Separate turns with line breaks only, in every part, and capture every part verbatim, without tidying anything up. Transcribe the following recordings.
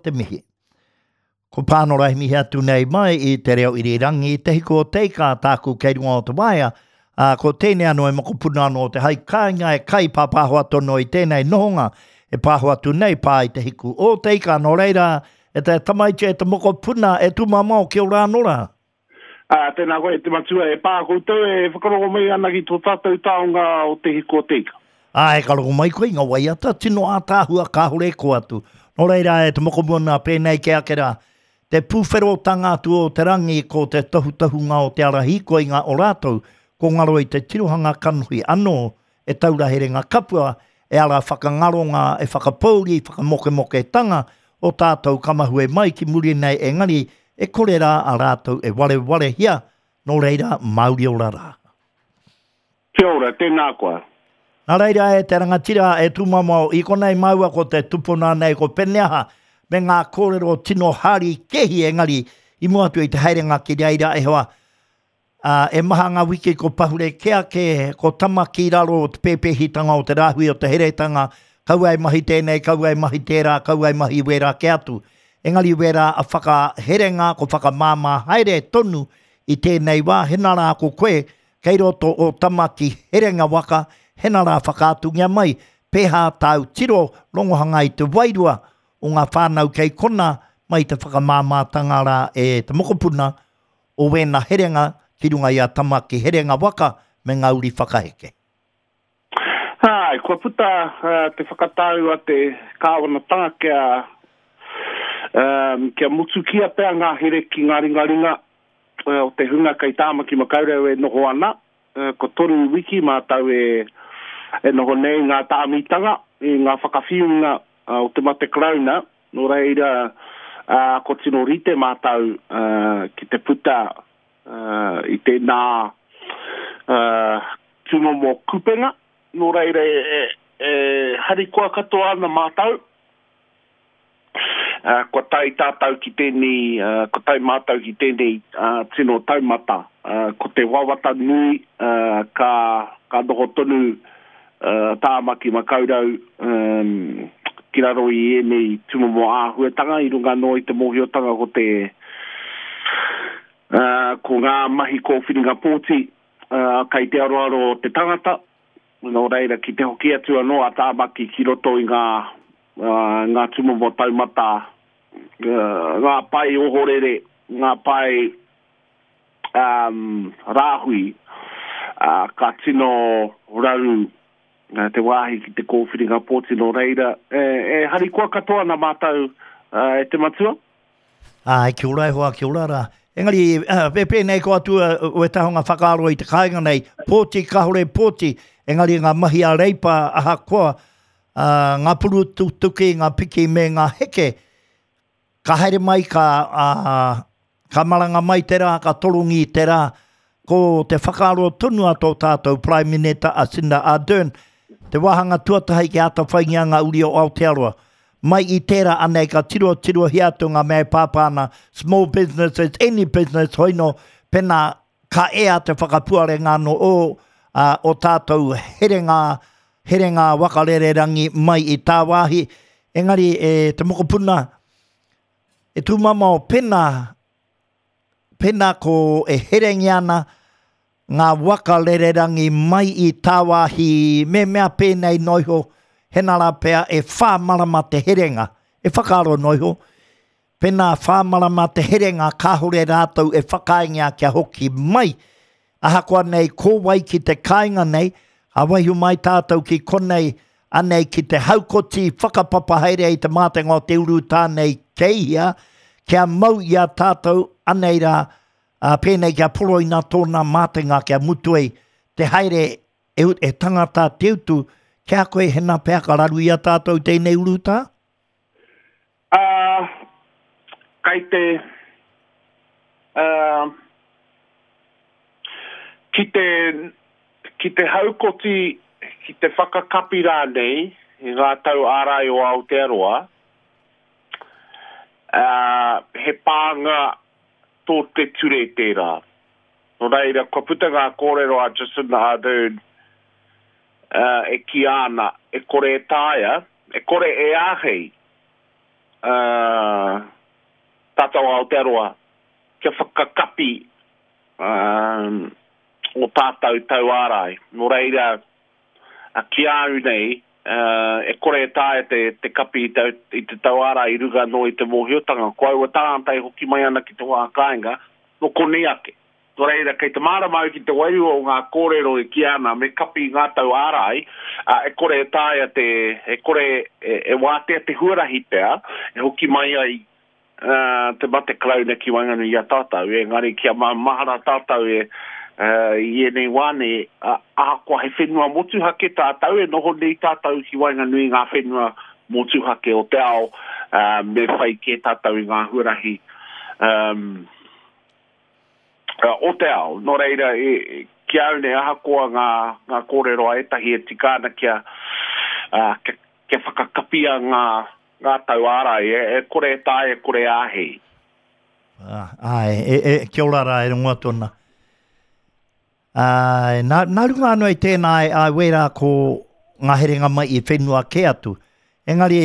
te mihi. Ko Pānora he mihi atu nei mai i te reo irirangi, te hiku o te ika tāku kei runga o te waea, ā, ko tēnei anō e mokopuna anō te hai kāinga e kai pāpāho atu anō i tēnei nohonga e pāho atu nei pā i te hiku o te ika. Nō reira, e te tamaiti, e te mokopuna, e tūmamao, kia ora anō rā.
Ā, tēnā koe e te matua, e pā koutou e whakarongo mai ana ki tō tātou taonga o te hiku o te ika.
Āe, ka rongo mai koe i ngā waiata tino ātaahua kāore e kō atu. Nō reira, e te mokomuna, pēnei kē ake rā, te pūwherotanga atu o te rangi ko te tohutohunga o te ara hīkoinga o rātou, ko ngaro i te tirohanga kanohi anō e taura herenga kapua, e ara whakangaronga, e whakapōuri, whakamokemoketanga o tātou ka mahue mai ki muri nei engari e kore rā a rātou e warewarehia, nō reira, mauri ora rā.
Kia ora, tēnā koa.
Nā reira e te rangatira e tūmamao i konei māua ko te tupuna nei ko Peneaha me ngā kōrero tino hari kehi engari i mua atu i te haerenga ki reira e hoa ā, e maha ngā wiki ko pahure kē ake ko tama ki raro o te pēpēhitanga o te rāhui o te heretanga kaua e mahi tēnei kaua e mahi tērā kaua e mahi wērā kē atu engari wērā a whakaherenga ko whakamāmā haere tonu i tēnei wā hena rā ko koe Kei roto o Tamaki Herenga Waka, hena rā whakaatungia mai, pēhā tāu tiro rongohanga i te wairua o ngā whānau kei kona mai te whakamāmātanga rā e te mokopuna o wēna herenga ki runga i a Tamaki Herenga Waka me ngā uri whakaheke.
Āe, kua puta te whakatau a te kāwanatanga kia, kia motukia pea ngā here ki ngā ringaringa o te hunga kei Tāmaki Makaurau e noho ana, ko toru wiki mātou e e noho nei ngā tāmitanga i ngā whakawhiunga o te mate Karauna, nō reira ko tino rite mātou ki te puta i tēnā tūmomo kupenga, nō reira e harikoa katoa ana mātou. Kua tae tātou ki tēnei, kua tae mātou ki tēnei tino taumata. Ko te wawata nui ka, ka noho tonu Tāmaki Makaurau ki raro i ēnei tūmomo āhuatanga i runga anō i te mōhiotanga ko te, ko ngā mahi kōwhiringa pōti kei te aroaro o te tangata. Nō reira, ki te hoki atu anō a Tāmaki ki roto i ngā, ngā tūmomo taumata, ngā pae ohorere, ngā pae um, rāhui, uh, ka tino raru te wāhi ki te kōwhiringa pōti. Nō reira, e, e harikoa katoa ana mātou uh, e te matua.
Āe, kia ora e hoa, kia ora rā. Engari, e pēnei ko atu wētahi o ngā whakaaro i te kāinga nei, pōti, kāore pōti, engari ngā mahi a Reipa ahakoa ngā purutuki, ngā piki me ngā heke, ka haere mai, ka, ka maranga mai te rā, ka torongi te rā, ko te whakaaro tonu a tō tātou Prime Minita a Cinda Ardern, te wāhanga tuatahi kia atawhaingia ngā uri o Aotearoa. Mai i tērā anei ka tirotirohia atu ngā mea e pāpā ana, small businesses, any business, hoino, pēnā ka ea te whakapuarenga anō o, ā, o tātou herenga, herenga waka rererangi mai i tāwāhi. Engari e te mokopuna, e tūmamao pēnā, pēnā ko e herengia ana ngā waka rererangi mai i tāwāhi me mea pēnei noa iho, hena rā pea e whā marama te herenga, e whakaaro noa iho, pēnā whā marama te herenga kāore rātou e whakaaengia kia hoki mai, ahakoa nei ko wai ki te kāinga nei, ka waiho mai tātou ki konei, anei ki te haukoti whakapapa haere i te mātenga o te urutā nei kei hea, kia mau i a tātou, anei rā, ā, pēnei kia poroina tōna mātenga kia mutu ai te haere e, e tangata te utu, ki a koe hena pea ka raru i a tātou tēnei urutā?
Ā, kei te, ā, ki te, ki te haukoti, ki te whakakapi rānei i ngā tau ārai o Aotearoa, ā, he pānga tō te ture tērā. Nō reira, kua puta ngā kōrero a Jacinda Ardern ā, e kīia ana e kore e taea, e kore e āhei ā, tātou Aotearoa kia whakakapi um, o tātou tauārai. Nō reira, ki a au nei, uh, e kore e taea te, te kapi i te, i te tauārai i runga anō i te mōhiotanga. Ko aua tāngata e hoki mai ana ki te wā kāinga, nō konei ake. Nō reira, kei te mārama au ki te wairua o ngā kōrero e kī ana me kapi i ngā tauārai, uh, e kore e taea te, e kore e, e wātea te huarahi pea, e hoki mai ai uh, te mate Karauna ki waenganui i a tātou, engari kia mahara tātou e uh, i ēnei wā nei, uh, ahakoa he whenua motuhake tātou, e noho nei tātou ki waenganui i ngā whenua motuhake o te ao, uh, me whai kē tātou i ngā huarahi um, uh, o te ao. Nō reira, e, ki au nei, ahakoa ngā, ngā kōrero a ētahi e tika ana kia, uh, kia, kia whakakapia ngā, ngā tauārai, e, e kore e taea, e kore āhei.
Ah, ai, e, e, kia ora rā e rongo atu ana. Ai, nā, nā runga anō i tēnā, ai, ai wērā ko ngā herenga mai i whenua kē atu. Engari,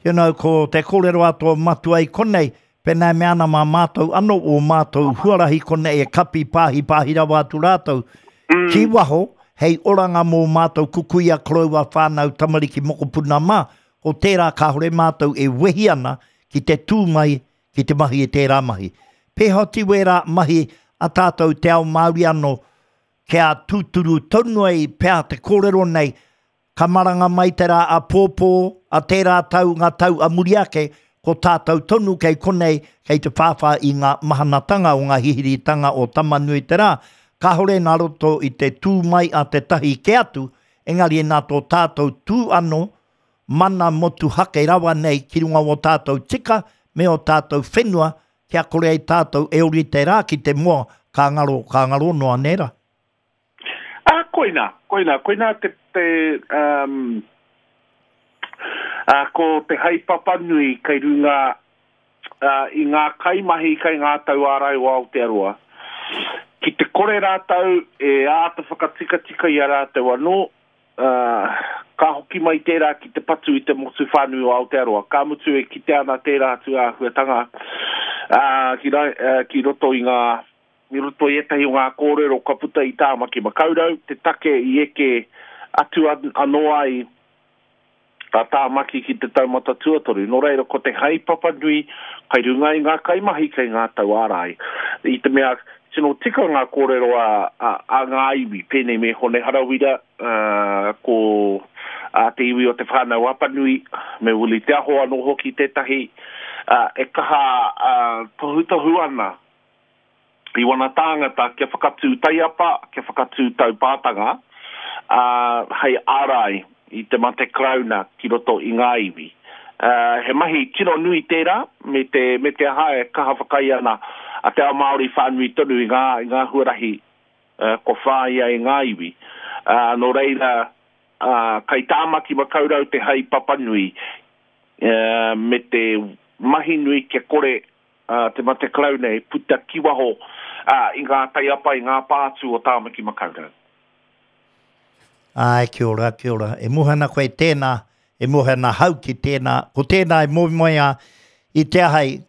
you know, ko te kōrero a tō matua i konei, pēnā e mea ana mā mātou anō o mātou huarahi konei e kapi pāhi pāhi rawa atu rātou.
Mm.
Ki waho, hei oranga mō mātou kukuia koroua whānau tamariki mokopuna mā, ko tērā kāhore mātou e wehi ana ki te tū mai ki te mahi e tērā mahi. Pēhoti wērā mahi a tātou te ao Māori anō, kia tūturu tonu ai pea te kōrero nei, ka maranga mai te rā a pōpō, a tērā tau ngā tau a muri ake, ko tātou tonu kei konei, kei te whāwhā i ngā mahanatanga o ngā hihiritanga o Tamanui te rā, kāhore nā roto i te tū mai a te tahi ke atu, engari nā tō tātou tū anō, mana motuhake rawa nei ki runga o tātou tika me o tātou whenua, kia kore ai tātou e ori te rā ki te moa, ka ngaro, ka ngaro noa nera.
Ah, koina, koina, koina te, te um, ah, ko te haepapa nui kei runga uh, i ngā kaimahi kei ngā tauārai o Aotearoa. Ki te kore rātou e āta whakatikatika i a rātou anō, uh, ka hoki mai tērā ki te patu i te motu whānui o Aotearoa. Ka mutu e kite ana tērā atu āhuatanga uh, ki, ra, uh, ki roto i ngā i roto i ētahi o ngā kōrero ka puta i Tāmaki Makaurau, te take i eke atu an, anō ai a Tāmaki ki te taumata tuatoru. Nō reira, ko te haepapa nui kai runga i ngā kaimahi kei ngā tauārai. I te mea, tino tika ngā kōrero a, a, a ngā iwi, pēnei me Hone Harawira, uh, ko a te iwi o te whānau Apanui, me Wili Te Aho anō hoki tētahi, uh, e kaha uh, tohutohu ana i wana tāngata kia whakatū taiapa, kia whakatū taupātanga, uh, hei ārai i te mate Karauna ki roto i ngā iwi. Uh, he mahi tino nui tērā, me te, me te aha e kaha whakai ana a te ao Māori whānui tonu i ngā, i ngā huarahi uh, ko whāia i ngā iwi. Uh, nō reira, uh, kai Tāmaki Makaurau te haepapa nui, uh, me te mahi nui kia kore uh, te mate Karauna e puta ki waho uh, i ngā taiapa, i ngā pātū o Tāmaki Makaurau.
Ai, kia ora, kia ora. E mohe ana koe tēnā, e mohe ana hau ki tēnā. Ko tēnā e moe mai a i te ahai,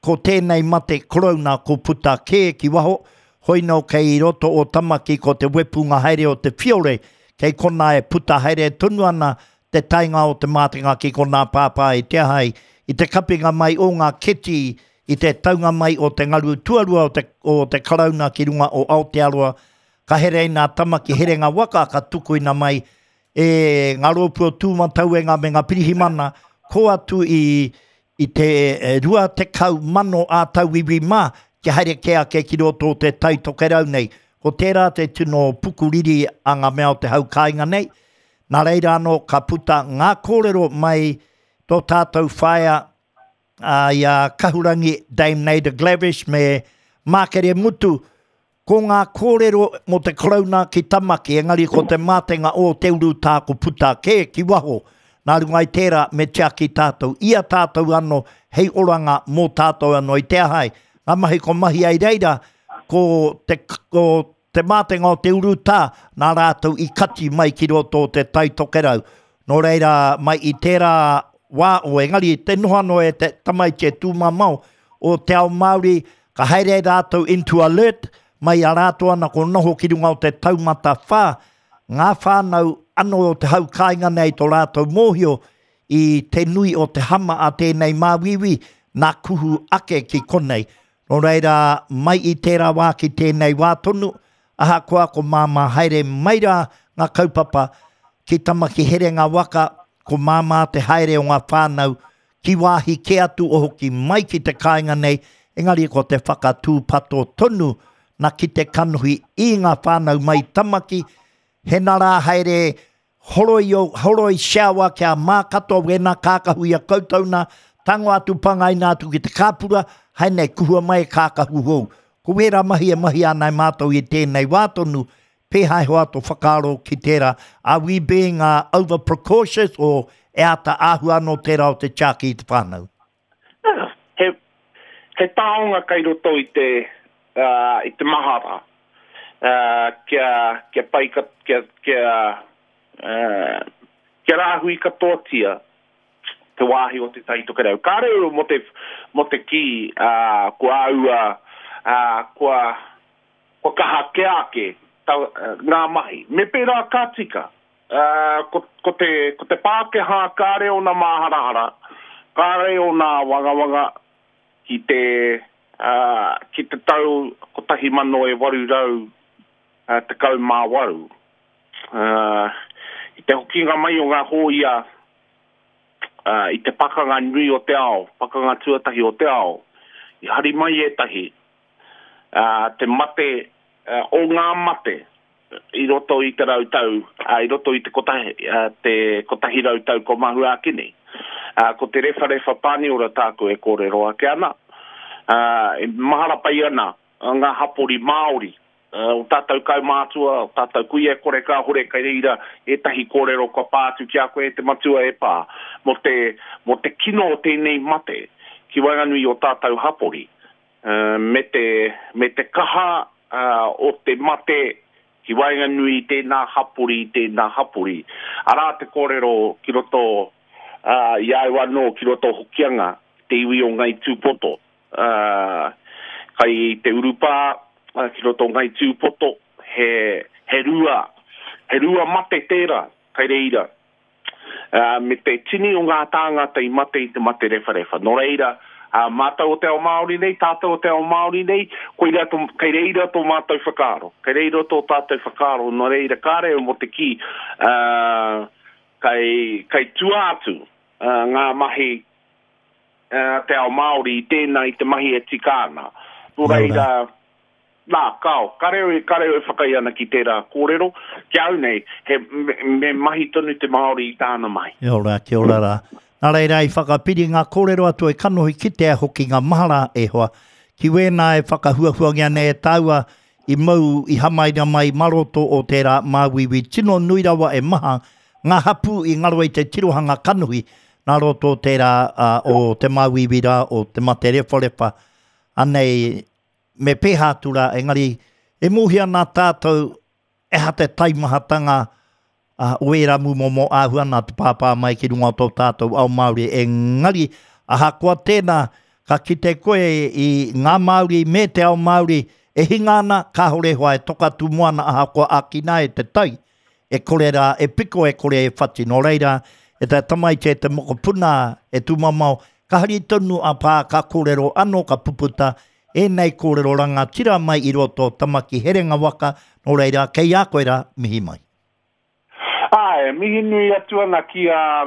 ko tēnei mate Karauna ko puta kē ki waho, hoino kei roto o Tamaki ko te wepunga haere o te whiore, kei kona e puta haere tonu ana te tainga o te mātenga ki kona pāpā i te ahai, i te kapinga mai o ngā keti, i te taunga mai o te ngaru tuarua o te, o te Karauna ki runga o Aotearoa, ka here i nā Tamaki herenga waka ka tukuina mai e ngā rōpū o Tūmatauenga me ngā pirihimana, ko atu i, i te rua tekau mano a tauiwi mā, kia haere kē ake ki roto o te Tai Tokerau nei. Ko tērā te tino pukuriri a ngā mea o te hau kāinga nei. Nā reira anō ka puta ngā kōrero mai tō tātou whaea a, i a Kahurangi Dame Naida Glavish me Mākere Mutu, ko ngā kōrero mō te Karauna ki Tamaki, engari ko te mātenga o te urutā ko puta kē ki waho. Nā runga i tērā me tiaki tātou, ia tātou anō, hei oranga mō tātou anō i te ahai. Ngā mahi ko mahi ai reira, ko te, ko te mātenga o te urutā, nā rātou i kati mai ki roto o te Tai Tokerau. Nō reira, mai i tērā wā o, engari te noho anō e te tamaiti e tūmamao, o te ao Māori, ka haere rātou into alert, mai a rātou ana ko noho ki runga o te taumata whā, ngā whānau anō o te hau kāinga nei tō rātou mōhio i te nui o te hama a tēnei māuiui, nā kuhu ake ki konei. Nō reira, mai i tērā wā ki tēnei wā tonu, ahakoa ko māmā haere mai rā ngā kaupapa ki Tamaki Herenga Waka, ko māmā te haere o ngā whānau ki wāhi kē atu o hoki mai ki te kāinga nei, engari ko te whakatūpato tonu na ki te kanohi i ngā whānau mai Tamaki, hena rā haere horoi, o, horoi shower kia mā katoa wena kākahu i a koutou nā, tango atu pangaina atu ki te kāpura, hai nei kuhua mai e kākahu hou. Ko wērā mahi e mahi ana e mātou i tēnei wā tonu, pēhai hoa tō whakaaro ki tērā. Are we being uh, over precautious or e āta āhua anō tērā o te tiaki i te whānau?
He, he taonga kai roto i te, uh, i te mahara, uh, kia, kia pai, ka, kia, kia, uh, kia rāhui katoatia te wāhi o te Tai Tokerau. Kāre mo te, mo te ki, uh, kua aua, uh, kua, kua kaha kē ake ta, uh, ngā mahi. Me pērā ka tika, uh, ko, ko, te, ko te Pākehā kāre o nā māharahara, kāre o nā wangawanga ki te, uh, ki te tau kotahi mano e waru rau uh, tekau mā waru. Uh, i te hokinga mai o ngā hōia uh, i te pakanga nui o te ao, pakanga tuatahi o te ao, i hari mai ētahi, uh, te mate, uh, o ngā mate i roto i te rau tau, uh, i roto i te kotahi, uh, te kotahi rau tau ko mahua ake nei. Uh, ko te rewharewha pāniora tāku e kōrero ake ana, uh, e mahara pai ana ngā hapori Māori, uh, o tātou kaumātua, o tātou kuia e kore kāhore kai reira ētahi kōrero kua pā atu ki a koe e te matua e pā, mo te, mo te kino o tēnei mate ki waenganui o tātou hapori, uh, me te, me te kaha uh, o te mate ki waenganui tēnā hapori, tēnā hapori. Arā te kōrero ki roto uh, i au anō, ki roto Hokianga, te iwi o Ngai Tūpoto. Uh, kai te urupā, uh, ki roto Ngai Tūpoto, he, he rua, he rua mate tērā, kai reira. Uh, me te tini o ngā tāngata i mate i te mate rewharewha. Nō reira, uh, mātou o te ao Māori nei, tātou o te ao Māori nei, koira tō, kai reira tō mātou whakaaro. Kai reira tō tātou whakaaro, nō reira kāre o mo te ki, uh, kai, kai tua atu uh, ngā mahi uh, te ao Māori i tēnā i te mahi e tika ana. Nō reira, nā, kao, kareo, kareo e whakai ana ki tērā kōrero, ki au nei, he, me, me mahi tonu te Māori i tāna mahi.
Kia ora, kia ora rā. Nā reira, i whakapiri ngā kōrero atu e kanohi ki te hoki ngā mahara e hoa. Ki wēnā e whakahuahuangia nei e tāua i mau i hamaina mai maroto o tērā māuiui tino nui rawa e maha ngā hapū i ngaro i te tirohanga kanohi nā roto o tērā uh, o te māuiui rā o te mate rewharewha. Anei, me pēhā atu rā, engari e mōhia nā tātou e ha te taimahatanga uh, o ērā mūmomo āhua nā te pāpā mai ki runga o tō tātou ao Māori. Engari, ahakoa tēnā, ka kite koe i ngā Māori me te ao Māori e hinga ana, kāhore hoa e toka tūmoana ahakoa ākina e te tai, e kore rā, e piko e kore e whati. Nō reira, e te tamaiti e te mokopuna e tūmamao, ka hari tonu a pā, ka kōrero anō, ka puputa, e nei kōrero rangatira mai i roto Tamaki Herenga Waka, nō reira, kei a koe rā, mihi mai.
Ai, mihi nui atu ana ki a,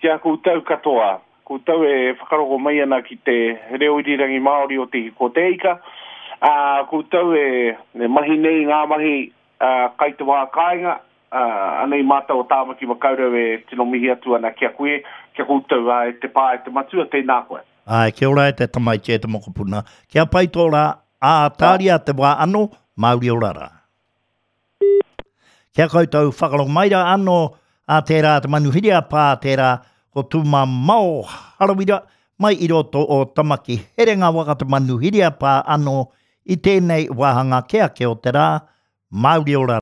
ki a koutou katoa. Koutou e whakarongo mai ana ki te reo irirangi Māori o te Hiko Te Ika. Uh, koutou e, e mahi nei ngā mahi uh, kai te wā kāinga. Uh, anei mātou o Tāmaki Makaurau e tino mihi atu ana ki a koe, ki a koutou uh, e te pā e te matua, tēnā koe.
Ai, kia ora e te tamaiti e te mokopuna. Kia pai tō rā, ā tāria te wā anō, Māori ora rā. Kia koutou whakarongo mai rā anō, a tērā te manuhiri a pā, tērā ko Tūmamao Harawira, mai i roto o Tamaki Herenga Waka te manuhiri a pā anō i tēnei wāhanga kē ake o te rā, Māori ora.